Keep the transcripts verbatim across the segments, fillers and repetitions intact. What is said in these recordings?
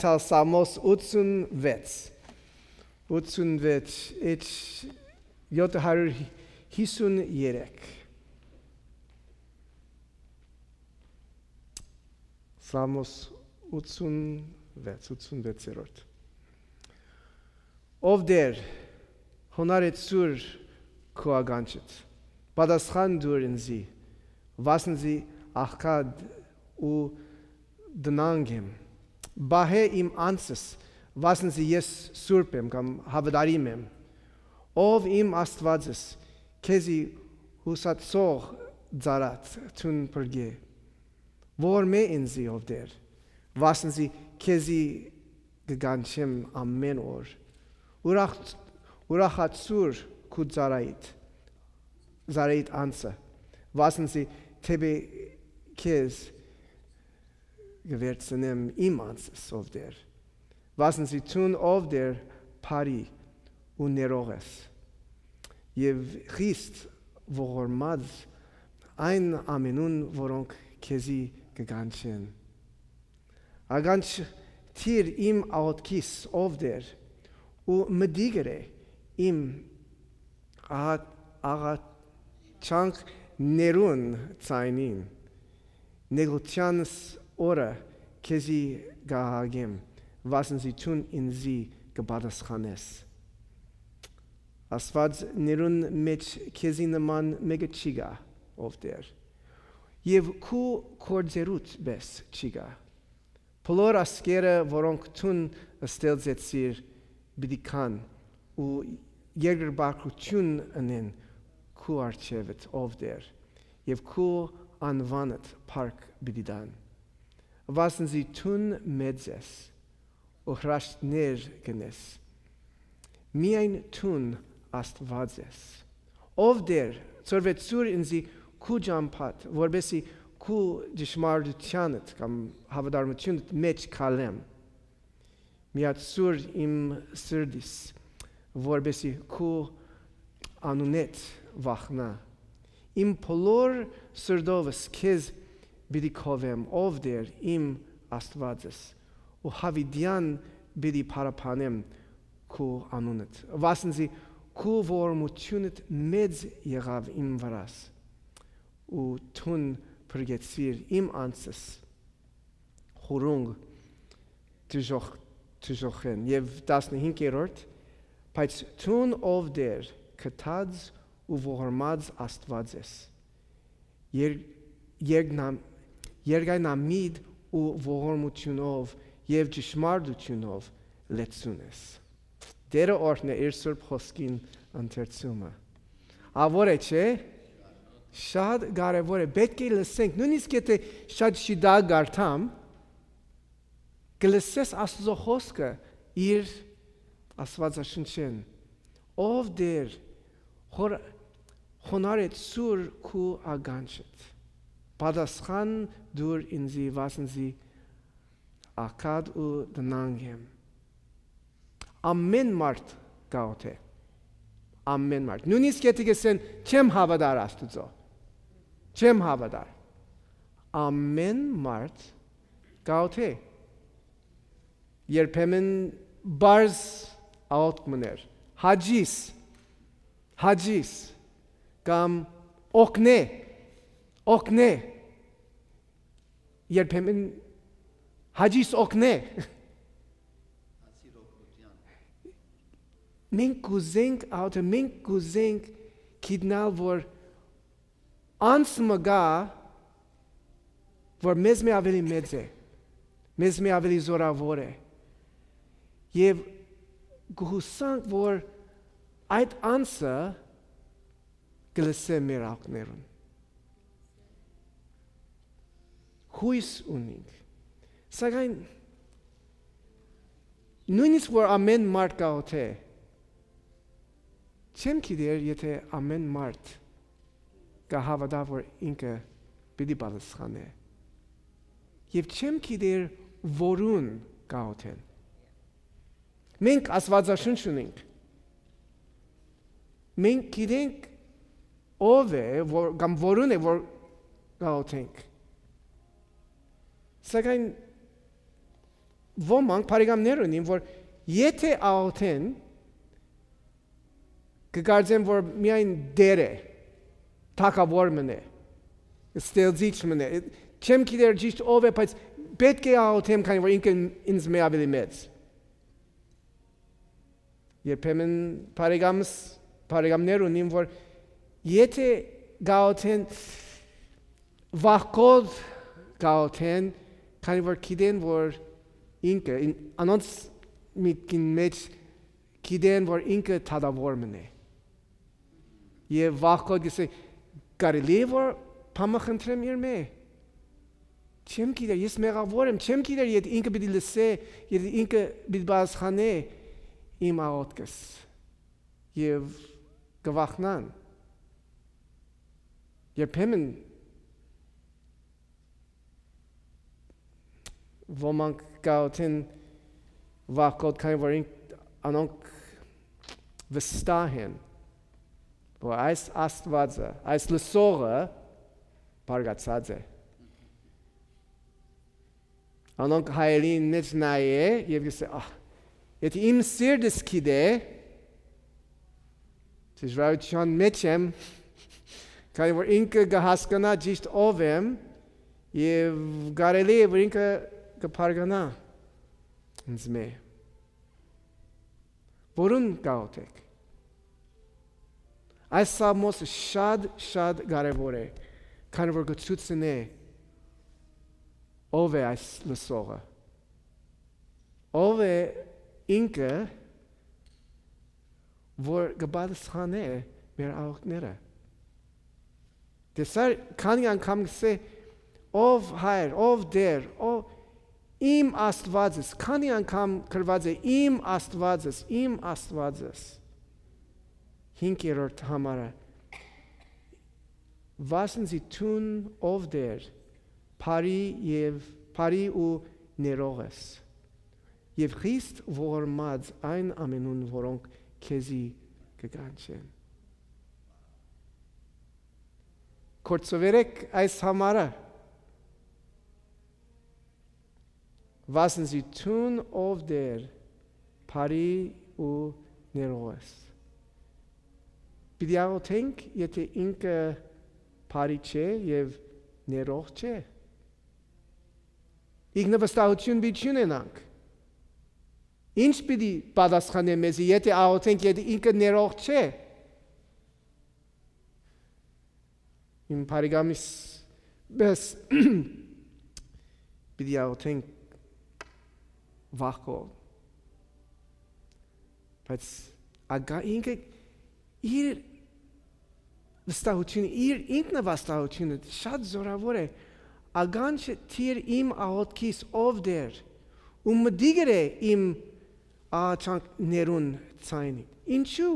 Սամոս ութսունվեց ութսունվեց Էջ յոթ հարյուր հիսուներեք Սամոս ութսունվեց ութսունվեցերորդ Ով դեր հոնարեցուր քո ագանչդ պատասխան դուր ինձի վասնզի աղքատ ու դնանգ եմ բահե իմ անձս վասնզի ես սուրբ եմ կամ հավատարիմ եմ ով իմ Աստվածս քեզի հուսացող ծառատ թուն փրկե որ մե ինձի ով դեր վասնզի քեզի գանչեմ ամեն օր ուրախ ուրախացուր քու ծառայիդ ծառայիդ անձը վասնզի թեպե քեզ գվերցնեմ իմ անձս ով դեր վասնզի թուն ով դեր բարի ու ներող ես եւ Քրիստ ողորմած այն ամենուն որոնք քեզի կգանչեն ագանչ թիր իմ աղոթքիս ով դեր ու մդիգրե իմ աղաչանք ներուն ցայնին նեգոցյանս օրը քեզի գահագեմ վասնզի թուն ինձի կպատասխանես Աստված ներուն մեջ քեզի նման մեկը չի գա ով դեր եւ քու կորձերուտ բես չի գա բոլոր ասկերը որոնք թուն ստեղծեցիր պիտի կան ու երկրպագություն ունեն քու առջևդ ով դեր եւ քու անվանդ փառք պիտի տան վասնզի թուն մեծ ես ու հրաշքներ գնես միայն թուն Աստված ես ով դեր ծորվեցուր ինձի քու ճամփատ որբեսի քու ճշմարտությանդ կամ հավատարմությունդ մեջ քալեմ միացուր իմ սրտիս որբեսի քու անունետ վախնա իմ բոլոր սրտովս քեզ Բիդի քովեմ ով դեր իմ Աստվածս ու հավիդյան բիդի փարապանեմ քու անունդ վասնզի քու ողորմությունդ մեծ եղավ իմ վրաս ու թուն փրկեցիր իմ անձս խորունգ դժոխ դժոխեն եւ տասնհինգերորդ բայց թուն ով դեր կթած ու ողորմած Աստված ես երգնամ Երգայնամիտ ու ողորմությունով եւ ճշմարտությունով լեցուն ես Դերը օրհնե իր սուրբ խոսքին ընթերցումը Ավոր է չէ շատ կարևոր է պետք է լսենք նույնիսկ եթե շատ շիդա գարտամ կլսես Աստծո խոսքը իր Աստվածաշնչին ով դեր խոնարհեցուր քու ագանչդ պատասխան դուր ինձի վասնզի աղքատ ու դնանգ եմ ամեն մարդ գաղութ է ամեն մարդ նույնիսկ եթե գսեն չեմ հավատար Աստծո չեմ հավատար ամեն մարդ գաղութ է երբեմն բարձ աղոթքներ հաջիս հաջիս կամ օգնե օգնե երբեմն հաջիս օգնե մենք կուզենք աուտը մենք կուզենք գիտնալ որ անցումը գա որ մեզ մի ավելի մեծ է մեզ մի ավելի զորավոր է եւ գուհուսանք որ այդ անցը գլսե մեր աղքներուն հույս ունենք սակայն նույնիսկ որ ամեն մարդ գաղութ է չեմ գիտեր եթե ամեն մարդ կհավատա որ ինքը պիտի պատասխանե եւ չեմ գիտեր որուն գաղութ են մենք Աստվածաշունչ ունենք մենք գիտենք ով է որ կամ որուն է որ գաղութ ենք Սակայն ոմանք բարեկամներ ունին, որ եթե աղոթեն, կգարձեն, որ միայն դեր է, թագավոր մնե, ստեղծիչ մնե, չեմ գիտեր ճիշտ ով է, բայց պետք է աղոթեմ, քանի որ ինքը ինձ մե ավելի մեծ։ Երբեմն բարեկամս, բարեկամներ ունին, որ եթե գաղոթեն, վախկոտ գաղոթեն, քանի որ գիտեն, որ ինքը, անոնց միտքին մեջ գիտեն, որ ինքը թագավոր մնե։ Եվ վախկոտ գսե, կարելի է, որ փամը խնդրեմ իր մե։ Չեմ գիտեր, ես մեղավոր եմ, չեմ գիտեր, եթե ինքը պիտի լսե, եթե ինքը պիտի բացխանե իմ աղոթքս եւ կվախնան։ Երբեմն ոմանք գաղութեն վախկոտ քանի որ անոնք վստահ են, որ այս Աստվածը, այս լսողը բարգացած է։ Անոնք հայերին մեջ նայե եւ գսե, ահ, եթե իմ սիրտս գիտե, դժվարության մեջ եմ, քանի որ ինքը կհասկանա ճիշտ ով եմ եւ կարելի է որ ինքը կփարգանա ինձ մե։ Որուն գաղութեք։ Այս սամոսը շատ շատ կարևոր է, քանի որ կցուցնե ով է այս լսողը, ով է ինքը, որ կպատասխանե մեր աղոթքները։ Տեսար քանի անգամ գսե ով հայր, ով դեր, ով իմ Աստվածս, քանի անգամ գրված է իմ Աստվածս, իմ Աստվածս։ Հինգերորդ համարը վասնզի տուն ով դեր Փարի եւ Փարի ու ներողես եւ Քրիստ ողորմած այն ամենուն որոնք քեզի կգանչեն։ Կորցովերեք այս համարը վասնզի տուն ով դեր Փարի ու ներողես։ Պիտի աղոթենք, եթե ինքը Փարի չէ եւ ներող չէ։ Ինքնավստահություն պիտի չունենանք։ Ինչ պիտի պատասխանե մեզի, եթե աղոթենք, եթե ինքը ներող չէ։ Իմ բարեկամիս բես պիտի աղոթենք վախկոտ։ Բայց ագա ինքը իր վստահությունը, իր ինքնավստահությունը շատ զորավոր է։ Ագանչը թիր իմ աղոթքիս ով դեր, ու մդիգր է իմ աղաչանքներուն ցայնի։ Ինչու։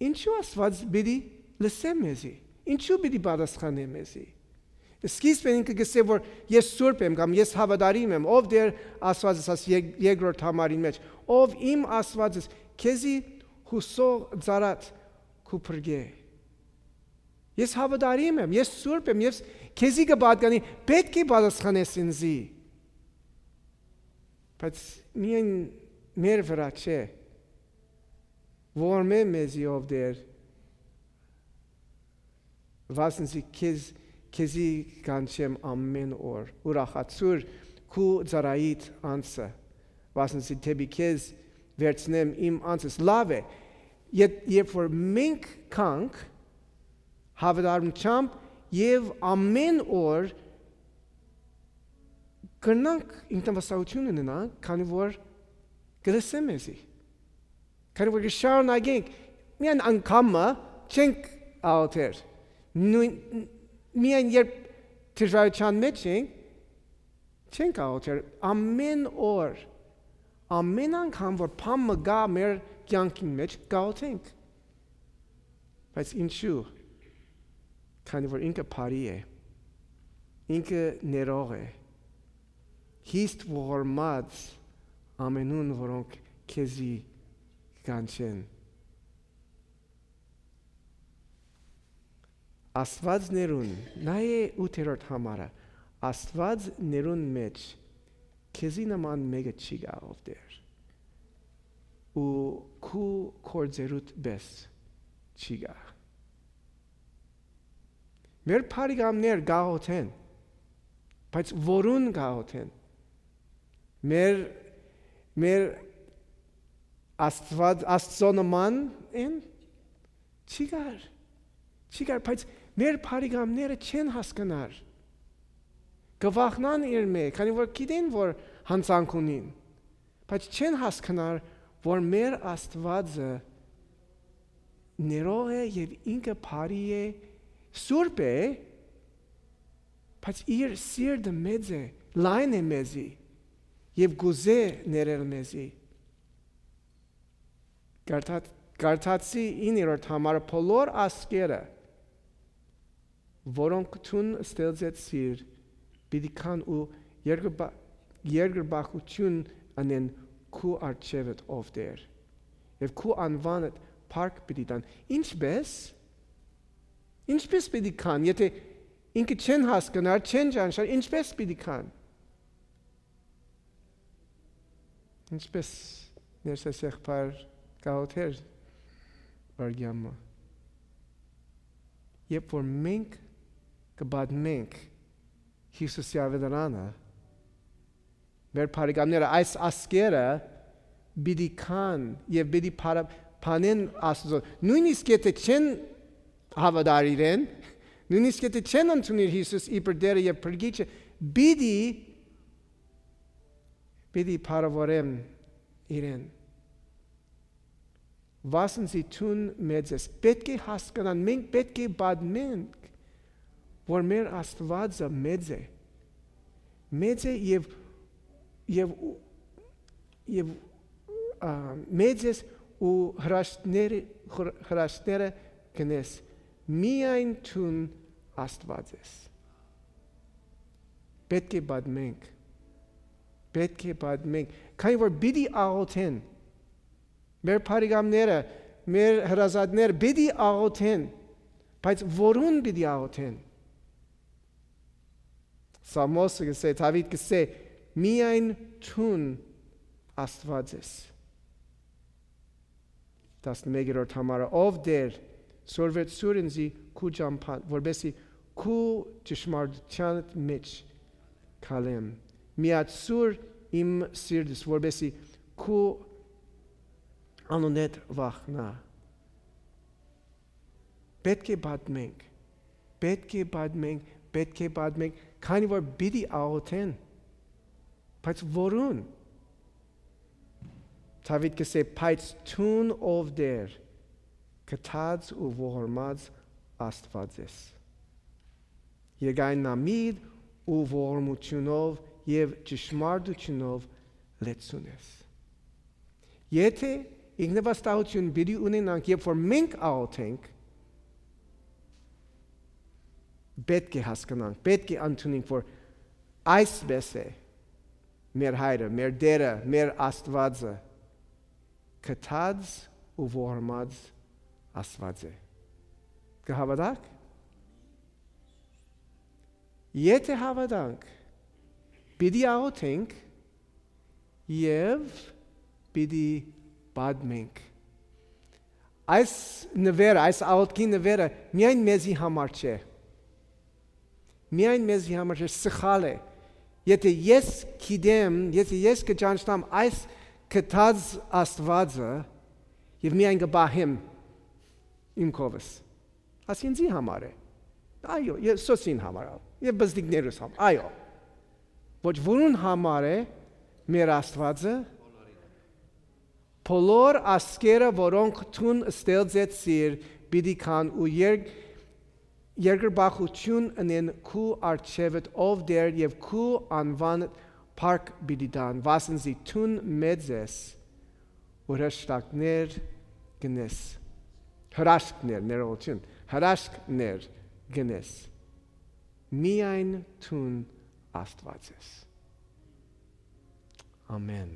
Ինչու Աստված պիտի լսե մեզի։ Ինչու պիտի պատասխանե մեզի։ Սկիզբն ինքը գսե որ ես սուրբ եմ կամ ես հավատարիմ եմ, ով դեր Աստվածս աս երկրորդ համարին մեջ, ով իմ Աստվածս քեզի հուսող ծարատ կուփրգե։ Ես հավատարիմ եմ, ես սուրբ եմ, ես քեզի կպատկանի, պետք է պատասխանես ինձի։ Բայց միայն մեր վրա չէ, որ մե մեզի ով դեր, վասնզի քեզ, քեզի կանչեմ ամեն օր, ուրախացուր քու ծարայիդ անձը, վասնզի թեպի քեզ վերցնեմ իմ անձս, լավ է, երբ որ մենք կանք, հավատարմությամբ եւ ամեն օր կրնանք ինքնավստահություն ունենանք, քանի որ կլսեմ մեզի։ Քանի որ շարունակենք, միայն անգամը չենք աղոթեր։ Միայն երբ դժվարության մեջ ենք, չենք աղոթեր։ Ամեն օր, ամեն անգամ որ փամը գա մեր կյանքի մեջ գաղոթենք։ Բայց ինչու։ Քանի որ ինքը Փարի է, ինքը ներող է, հիստ ողորմած ամենուն որոնք քեզի կանչեն։ Աստված ներուն, նա է ութերորդ համարը, Աստված ներուն մեջ քեզի նման մեկը չի գա ով դեր ու քու կորձերուտ բես չի գա մեր բարեկամներ գաղութեն բայց որուն գաղութեն մեր մեր աստված աստծո նման են չի գար չի գար բայց մեր բարեկամները չեն հասկանար գվախնան իր մեջ քանի որ գիտեն որ հանցանք ունին բայց չեն հասկանար որ մեր աստվածը ներող է եւ ինքը բարի է սուրբ է բայց իր սիրտը մեծ է լայն է մեզի եւ գուզե ներել մեզի Գարթացի իններորդ համարը բոլոր ասկերը որոնք տուն ստեղծեցիր պիտի կան ու երկրպագություն անեն քու արջևդ ով դեր եւ քու անվանդ փառք պիտի տան ինչպես ինչպես պիտի կան եթե ինքը չեն հասկանար չեն ճանաչար ինչպես պիտի կան ինչպես ներսեսեղբար գաղութեր վարգյամը երբ որ մենք կբադմենք Հիսուսի ավետարանը մեր բարեկամները այս ասկերը պիտի կան եւ պիտի փանեն Աստծո նույնիսկ եթե չեն հավատար իրեն նույնիսկ եթե չեն ընդունիր Հիսուս իբր Տերը եւ Փրկիչը պիտի պիտի փառավորեն իրեն Վասնզի տուն մեծես պետք է հասկանան մենք պետք է բադմենք որ մեր Աստվածը մեծ է մեծ է եւ եւ եւ մեծես ու հրաշքները հրաշքները կնես միայն տուն Աստվածես պետք է բադմենք պետք է բադմենք քանի որ բիդի աղոթեն մեր բարեկամները մեր հրազատները բիդի աղոթեն բայց որուն բիդի աղոթեն Սամոսը գսե Դավիթ գսե միայն տուն Աստվածես տասնմեկերորդ համարը ով դեր սորվեցուր ինձի քու ճամփան որբեսի քու ճշմարտության մեջ քալեմ միացուր իմ սիրտս որբեսի քու անունդ վախնա պետք է բադմենք պետք է բադմենք պետք է բադմենք քանի որ բիդի աղոթեն բայց որուն Դավիթ գսե բայց տուն ով դեր կթած ու ողորմած Աստվածես Եկայն նամիդ ու ողորմությունով եւ ճշմարտությունով լեցունես Եթե ինքնավստահություն բիդի ունենանք երբ որ մենք աղոթենք պետք է հասկանանք պետք է ընդունենք որ այսպես է մեր հայրը մեր դերը մեր Աստվածը կթած ու ողորմած Աստված է կհավատաք եթե հավատանք պիտի աղոթենք եւ պիտի բադմենք այս նվերը այս աղոթքի նվերը միայն մեզի համար չէ միայն մեզի համար չէ սխալ է եթե ես գիտեմ եթե ես կճանաչեմ այս կթած Աստվածը եւ միայն կբահեմ իմ կովս ասինձի համար է այո ես սոսին համար եւ բզդիկներս համար այո ոչ որուն համար է մեր Աստվածը բոլոր ասկերը որոնք տուն ստեղծեցիր պիտի կան ու երբ երկրպագություն անեն քու արջևդ ով դեր եւ քու անվան փառք պիտի տան վասնզի տուն մեծ ես ու հրաշքներ գնես հրաշքներ ներողություն հրաշքներ գնես միայն տուն Աստված ես ամեն